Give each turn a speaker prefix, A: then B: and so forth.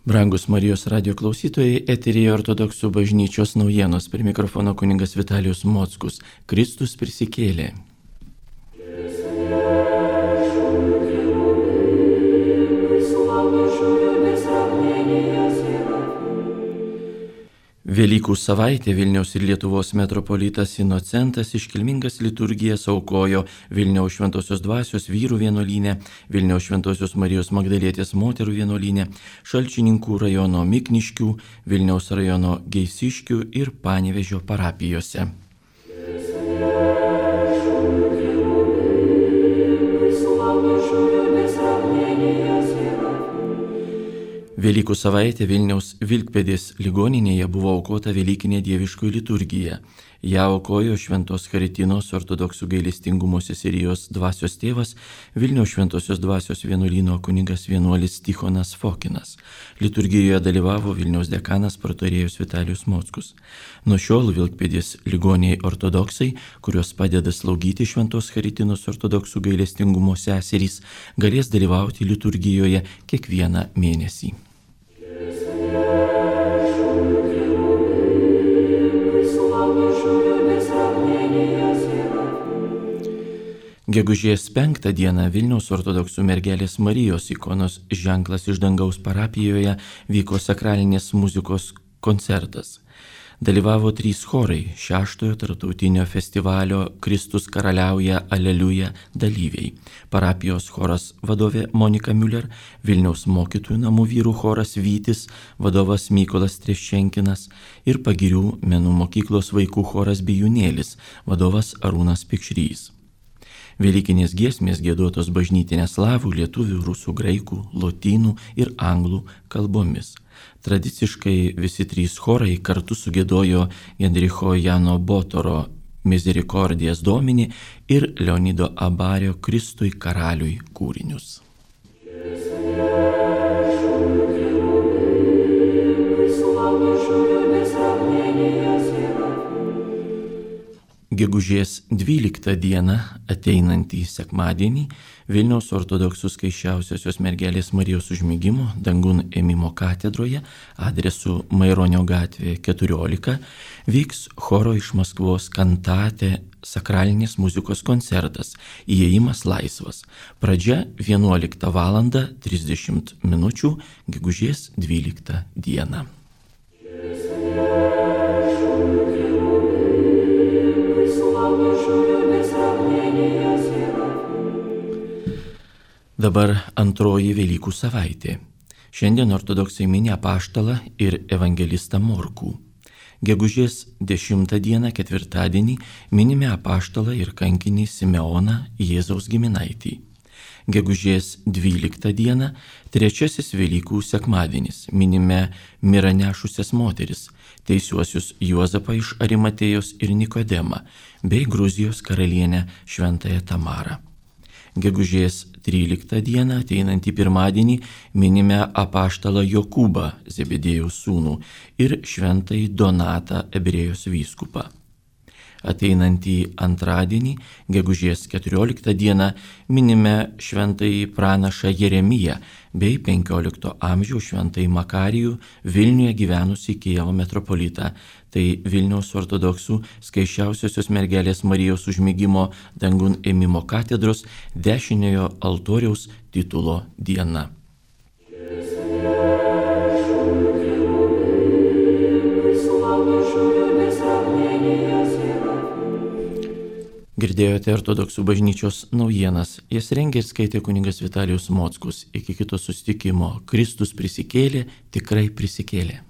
A: Brangus Marijos radio klausytojai, eteryje Ortodoksų bažnyčios naujienos, prie mikrofono kunigas Vitalijus Mockus. Kristus prisikėlė. Velykų savaitė Vilniaus ir Lietuvos metropolitas Inocentas iškilmingas liturgijas aukojo Vilniaus Šventosios Dvasios vyrų vienuolyne, Vilniaus Šventosios Marijos Magdalietės moterų vienuolyne, Šalčininkų rajono Mikniškių, Vilniaus rajono Geisiškių ir Panevėžio parapijose. Velykų savaitė Vilniaus Vilkpėdės ligoninėje buvo aukota Velykinė dieviškoji liturgija. Ja aukojo Šventos Charitinos ortodoksų gailestingumo seserijos dvasios tėvas Vilniaus Šventosios Dvasios vienuolyno kunigas vienuolis Tichonas Fokinas. Liturgijoje dalyvavo Vilniaus dekanas pratorėjus Vitalijus Mockus. Nuo šiol Vilkpėdės ligoniai ortodoksai, kurios padeda slaugyti Šventos Charitinos ortodoksų gailestingumo seserys, galės dalyvauti liturgijoje kiekvieną mėnesį. Gegužės 5 dieną Vilniaus ortodoksų mergelės Marijos ikonos ženklas iš dangaus parapijoje vyko sakralinės muzikos koncertas. Dalyvavo 3 chorai 6-ojo tarptautinio festivalio Kristus karaliauja Aleliuja dalyviai. Parapijos choras vadovė Monika Müller, Vilniaus mokytojų namų vyrų choras Vytis, vadovas Mykolas Treščenkinas ir Pagirių menų mokyklos vaikų choras Bijūnėlis, vadovas Arūnas Pikšrys. Velykinės giesmės giedotos bažnytinė slavų, lietuvių, rusų, graikų, lotynų ir anglų kalbomis. Tradiciškai visi 3 chorai kartu sugiedojo Gendricho Jano Botoro Misericordijas Domini ir Leonido Abario Kristui karaliui kūrinius. Gegužės 12 dieną, ateinantį sekmadienį, Vilniaus ortodoksų skaisčiausiosios mergelės Marijos užmigimo dangun ėmimo katedroje adresu Maironio gatvė 14 vyks choro iš Maskvos kantate sakralinės muzikos koncertas Įėjimas laisvas. Pradžia 11 val. 30 min. Gegužės 12 dieną. Dabar antroji Velykų savaitė. Šiandien ortodoksai mini apaštalą ir evangelistą Morkų. Gegužės 10 dieną, ketvirtadienį, minime apaštalą ir kankinį Simeoną Jėzaus giminaitį. Gegužės 12 dieną, trečiasis Velykų sekmadienis, minime mirą nešusias moteris, teisiuosius Juozapą iš Arimatėjos ir Nikodemą, bei Gruzijos karalienę Šventąją Tamarą. Gegužės 13 dieną, ateinantį pirmadienį, minime apaštalą Jokūbą, Zebedėjaus sūnų, ir Šventąjį Donatą, Ebrėjos vyskupą. Ateinantį antradienį, gegužės 14 dieną, minime Šventąjį pranašą Jeremiją bei 15 amžiaus Šventąjį Makarijų, Vilniuje gyvenusį Kijevo metropolitą. Tai Vilniaus ortodoksų skaisčiausiosios mergelės Marijos užmigimo dangun ėmimo katedros dešiniojo altoriaus titulo diena. Girdėjote ortodoksų bažnyčios naujienas. Jas rengė ir skaitė kunigas Vitalijus Mockus. Iki kito susitikimo. Kristus prisikėlė, tikrai prisikėlė.